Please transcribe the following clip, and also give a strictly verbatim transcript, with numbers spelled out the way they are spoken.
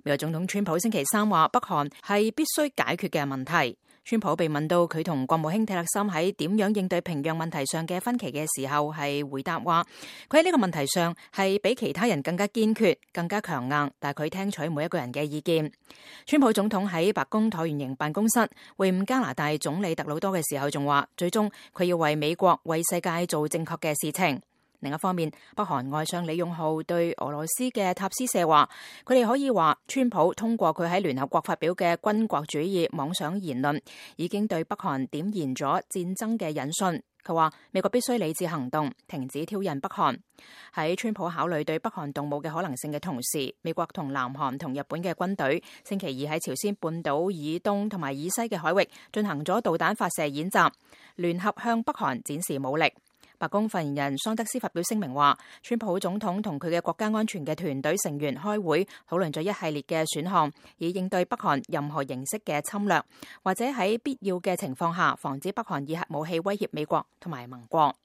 美國總統川普星期三話，北韓係必須解決嘅問題。川普被問到佢同國務卿蒂勒森喺點樣應對平壤問題上嘅分歧嘅時候，係回答話佢喺呢個問題上係比其他人更加堅決、更加強硬，但係佢聽取每一個人嘅意見。川普總統喺白宮橢圓形辦公室會晤加拿大總理特魯多嘅時候，仲話最終佢要為美國、為世界做正確嘅事情。另一方面，北韓外相李勇浩對俄羅斯嘅塔斯社話，佢哋可以話川普通過佢喺聯合國發表嘅軍國主義妄想言論，已經對北韓點燃咗戰爭嘅引信。佢話美國必須理智行動，停止挑釁北韓。喺川普考慮對北韓動武嘅可能性嘅同時，美國同南韓同日本嘅軍隊星期二喺朝鮮半島以東同埋以西嘅海域進行咗導彈發射演習，聯合向北韓展示武力。白宮發言人桑德斯發表聲明話，川普總統同佢嘅國家安全嘅團隊成員開會討論咗一系列嘅選項，以應對北韓任何形式嘅侵略，或者喺必要嘅情況下防止北韓以核武器威脅美國同埋盟國。